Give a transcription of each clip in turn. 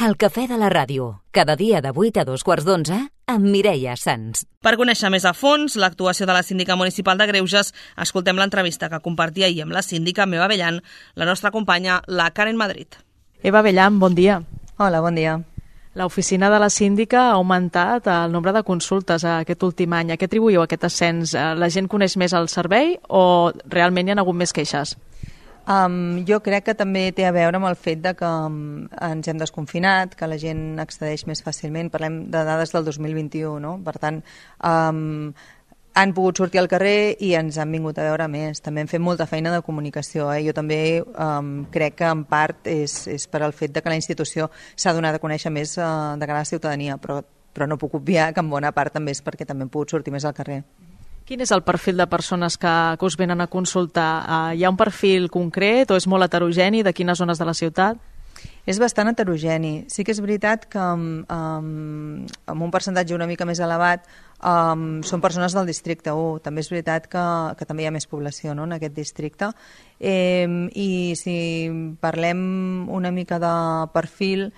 El cafè de la ràdio, cada dia de 8 a 2:15 amb Mireia Sans. Per conèixer més a fons l'actuació de la síndica municipal de Greuges, escoltem l'entrevista que compartia ahir amb la síndica Eva Abellan, la nostra companya, la Karen Madrid. Eva Abellan, bon dia. Hola, bon dia. L'oficina de la síndica ha augmentat el nombre de consultes aquest últim any. A què atribuïu aquest ascens? La gent coneix més el servei o realment hi ha hagut més queixes? Jo crec que també té a veure amb el fet de que ens hem desconfinat, que la gent accedeix més fàcilment. Parlem de dades del 2021, no? Per tant, han pogut sortir al carrer i ens han vingut a veure més. També hem fet molta feina de comunicació. Jo també crec que en part és per al fet de que la institució s'ha donat a conèixer més de cara a la ciutadania, però no puc obviar que en bona part també és perquè també hem pogut sortir més al carrer. Quin és el perfil de persones que us venen a consultar? Hi ha un perfil concret o és molt heterogeni? De quines zones de la ciutat? És bastant heterogeni. Sí que és veritat que amb un percentatge una mica més elevat són persones del districte 1. També és veritat que també hi ha més població, no?, en aquest districte. I si parlem una mica de perfil,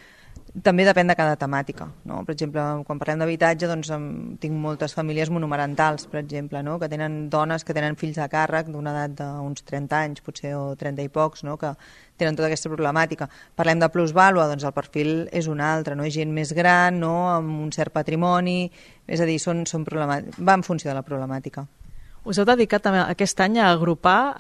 també depèn de cada temàtica, no? Per exemple, quan parlem d'habitatge, doncs tinc moltes famílies monomarentals, per exemple, no?, que tenen dones que tenen fills a càrrec d'una edat d'uns 30 anys, potser, o 30 i pocs, no?, que tenen tota aquesta problemàtica. Parlem de plusvàlua, doncs el perfil és un altre, no? És gent més gran, no?, amb un cert patrimoni, és a dir, va en funció de la problemàtica. Us heu dedicat aquest any a agrupar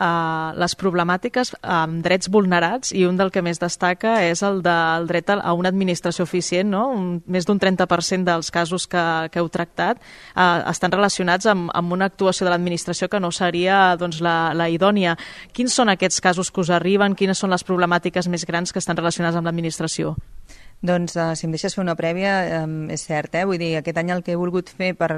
les problemàtiques amb drets vulnerats i un del que més destaca és el del dret a una administració eficient, no? Més d'un 30% dels casos que heu tractat estan relacionats amb una actuació de l'administració que no seria la idònia. Quins són aquests casos que us arriben? Quines són les problemàtiques més grans que estan relacionades amb l'administració? Doncs, si em deixes fer una prèvia, és cert, vull dir, aquest any el que he volgut fer per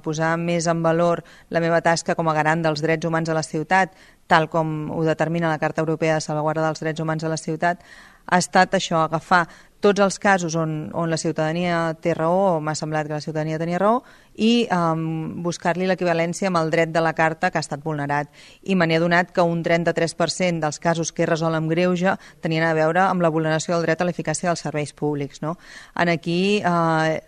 posar més en valor la meva tasca com a garant dels drets humans a la ciutat, tal com ho determina la Carta Europea de Salvaguarda dels Drets Humans a la ciutat, ha estat això, agafar tots els casos on la ciutadania té raó, o m'ha semblat que la ciutadania tenia raó, i buscar-li l'equivalència amb el dret de la Carta que ha estat vulnerat. I me n'he adonat que un 33% dels casos que he resolt amb greuge tenien a veure amb la vulneració del dret a l'eficàcia dels serveis públics, no? Aquí,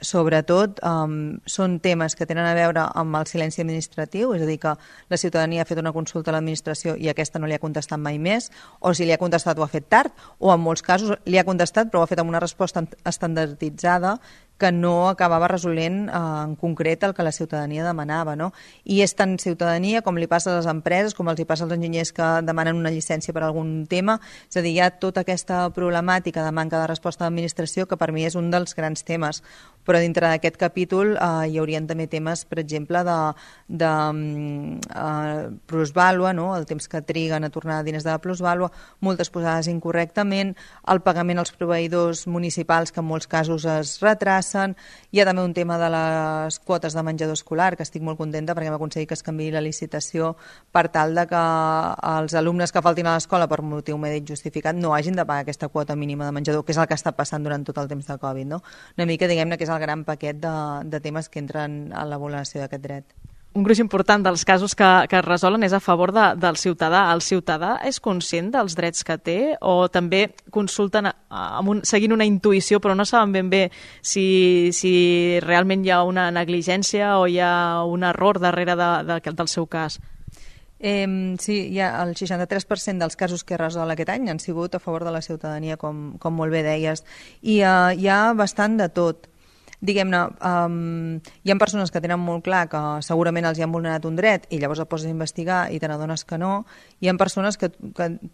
sobretot, són temes que tenen a veure amb el silenci administratiu, és a dir, que la ciutadania ha fet una consulta a l'administració i aquesta no li ha contestat mai més, o si li ha contestat ho ha fet tard, o en molts casos li ha contestat però ho ha fet amb una resposta estandarditzada que no acabava resolent en concret el que la ciutadania demanava, no? I és tant ciutadania com li passa a les empreses, com els hi passa als enginyers que demanen una llicència per algun tema, és a dir, hi ha tota aquesta problemàtica de manca de resposta de l'administració que per mi és un dels grans temes, però dintre d'aquest capítol hi haurien també temes, per exemple, de plusvàlua, no?, el temps que triguen a tornar diners de la plusvàlua, multes posades incorrectament, el pagament als proveïdors municipals que en molts casos es retrasa. Hi ha també un tema de les quotes de menjador escolar, que estic molt contenta perquè hem aconseguit que es canviï la licitació per tal de que els alumnes que faltin a l'escola per motiu mèdic justificat no hagin de pagar aquesta quota mínima de menjador, que és el que està passant durant tot el temps de Covid, no? Una mica, diguem-ne, que és el gran paquet de temes que entren a la vulneració d'aquest dret. Un gruix important dels casos que es resolen és a favor del ciutadà. El ciutadà és conscient dels drets que té o també consulten seguint una intuïció però no saben ben bé si realment hi ha una negligència o hi ha un error darrere del seu cas? Sí, el 63% dels casos que he resolt aquest any han sigut a favor de la ciutadania, com molt bé deies, i hi ha bastant de tot. Diguem-ne, hi ha persones que tenen molt clar que segurament els hi han vulnerat un dret i llavors el poses a investigar i te n'adones que no. Hi ha persones que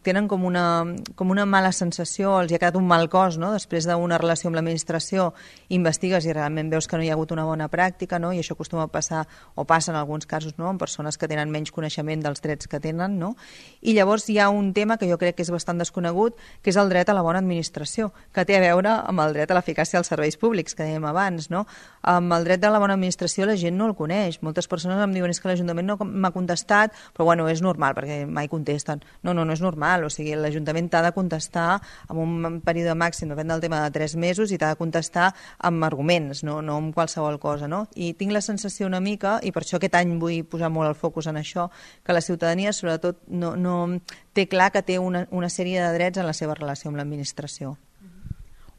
tenen com una mala sensació, els hi ha quedat un mal cos, no?, després d'una relació amb l'administració, investigues i realment veus que no hi ha hagut una bona pràctica, no?, i això acostuma a passar, o passa en alguns casos, no?, amb persones que tenen menys coneixement dels drets que tenen, no? I llavors hi ha un tema que jo crec que és bastant desconegut, que és el dret a la bona administració, que té a veure amb el dret a l'eficàcia dels serveis públics, que dèiem abans, no? Amb el dret de la bona administració la gent no el coneix. Moltes persones em diuen és que l'Ajuntament no m'ha contestat, però bueno, és normal perquè mai contesten. No és normal, o sigui, l'Ajuntament t'ha de contestar amb un període màxim, depèn del tema, de 3 mesos, i t'ha de contestar amb arguments, no amb qualsevol cosa, no? I tinc la sensació una mica, i per això aquest any vull posar molt el focus en això, que la ciutadania sobretot no té clar que té una sèrie de drets en la seva relació amb l'administració.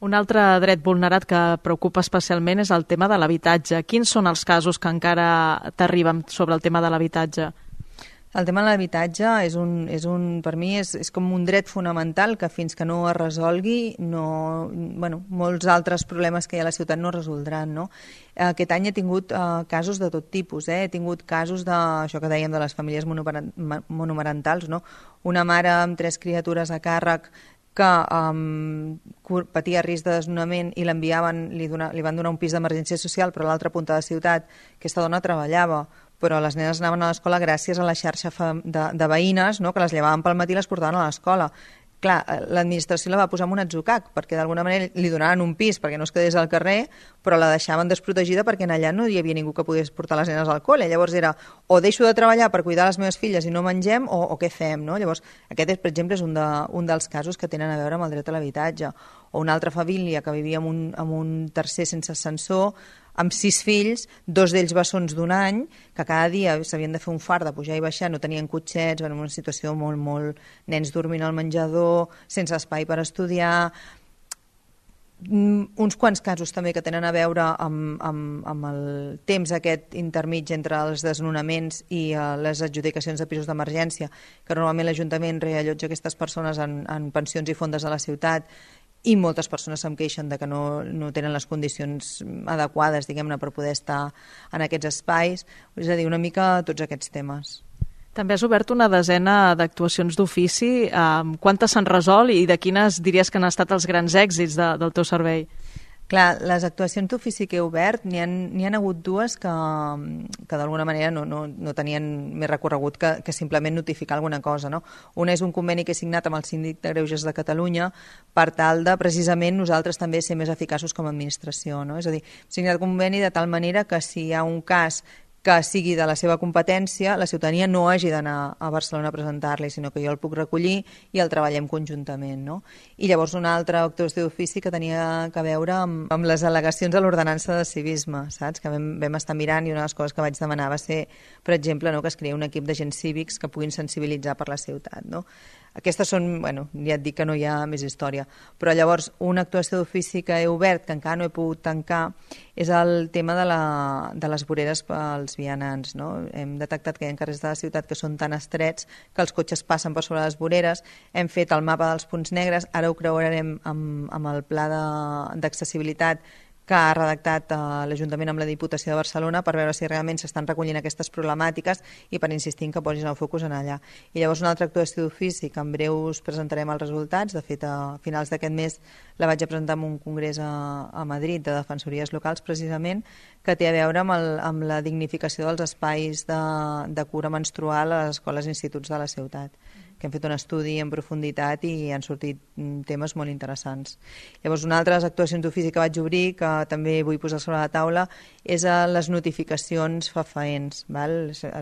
Un altre dret vulnerat que preocupa especialment és el tema de l'habitatge. Quins són els casos que encara t'arriben sobre el tema de l'habitatge? El tema de l'habitatge per mi és com un dret fonamental que fins que no es resolgui, molts altres problemes que hi ha a la ciutat no es resoldran, no? Aquest any he tingut casos de tot tipus, He tingut casos això que dèiem de les famílies monomarentals, no? Una mare amb 3 criatures a càrrec que patia risc de desnonament i li van donar un pis d'emergència social, però a l'altra punta de la ciutat. Aquesta dona treballava, però les nenes anaven a l'escola gràcies a la xarxa de veïnes, no?, que les llevaven pel matí i les portaven a l'escola. Clar, l'administració la va posar en un atzucac, perquè d'alguna manera li donaven un pis perquè no es quedés al carrer, però la deixaven desprotegida perquè allà no hi havia ningú que pogués portar les nenes al col·le. Llavors era o deixo de treballar per cuidar les meves filles i no mengem, o què fem, no? Llavors, aquest, per exemple, és un dels casos que tenen a veure amb el dret a l'habitatge. O una altra família que vivia en un tercer sense ascensor, amb 6 fills, 2 d'ells bessons d'1 any, que cada dia s'havien de fer un fart de pujar i baixar, no tenien cotxets, en una situació molt... nens dormint al menjador, sense espai per estudiar... Uns quants casos també que tenen a veure amb el temps aquest intermig entre els desnonaments i les adjudicacions de pisos d'emergència, que normalment l'Ajuntament reallotja aquestes persones en pensions i fondes de la ciutat, i moltes persones se'm queixen de que no tenen les condicions adequades, diguem-ne, per poder estar en aquests espais. És a dir, una mica tots aquests temes. També has obert una desena d'actuacions d'ofici. Quantes s'han resolt i de quines diries que han estat els grans èxits del teu servei? Clar, les actuacions d'ofici que he obert, n'hi han hagut 2 que d'alguna manera no tenien més recorregut que simplement notificar alguna cosa, no? Una és un conveni que he signat amb el Síndic de Greuges de Catalunya per tal de, precisament, nosaltres també ser més eficaços com a administració, no? És a dir, he signat un conveni de tal manera que si hi ha un cas que sigui de la seva competència, la ciutadania no hagi d'anar a Barcelona a presentar-li, sinó que jo el puc recollir i el treballem conjuntament, no? I llavors una altra actuació d'ofici que tenia a veure amb les al·legacions a l'ordenança de civisme, saps? Que vam estar mirant, i una de les coses que vaig demanar va ser, per exemple, no, que es creï un equip d'agents cívics que puguin sensibilitzar per la ciutat, no? Aquestes són, ja et dic que no hi ha més història, però llavors una actuació d'ofici que he obert, que encara no he pogut tancar, és el tema de les voreres pels vianants, no? Hem detectat que hi ha carrers de la ciutat que són tan estrets que els cotxes passen per sobre les voreres, hem fet el mapa dels punts negres, ara ho creurem amb el pla d'accessibilitat que ha redactat l'Ajuntament amb la Diputació de Barcelona per veure si realment s'estan recollint aquestes problemàtiques i per insistir que posin el focus en allà. I llavors una altra actuació d'ofici que en breu us presentarem els resultats, de fet a finals d'aquest mes la vaig a presentar en un congrés a Madrid de defensories locals precisament, que té a veure amb la dignificació dels espais de cura menstrual a les escoles i instituts de la ciutat, que hem fet un estudi en profunditat i han sortit temes molt interessants. Llavors, una altra de les actuacions d'ofici que vaig obrir, que també vull posar sobre la taula, és les notificacions fefaents.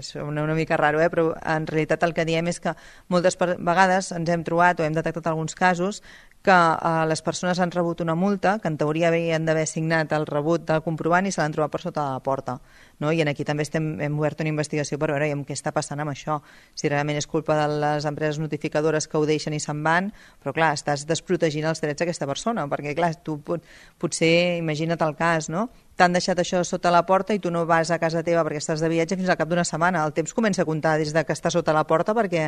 Sona una mica raro, però en realitat el que diem és que moltes vegades ens hem trobat o hem detectat alguns casos que les persones han rebut una multa, que en teoria havien d'haver signat el rebut del comprovant i se l'han trobat per sota de la porta. No? I aquí també hem obert una investigació per veure què està passant amb això, si realment és culpa de les empreses notificadores que ho deixen i se'n van, però clar, estàs desprotegint els drets d'aquesta persona, perquè clar, tu potser, imagina't el cas, no? T'han deixat això sota la porta i tu no vas a casa teva perquè estàs de viatge fins al cap d'una setmana. El temps comença a comptar des que està sota la porta perquè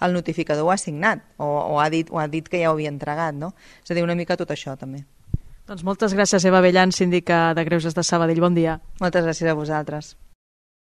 el notificador ho ha signat o ha dit que ja ho havia entregat, no? És a dir, una mica tot això també. Doncs moltes gràcies, Eva Abellán, síndica de Greuges de Sabadell. Bon dia. Moltes gràcies a vosaltres.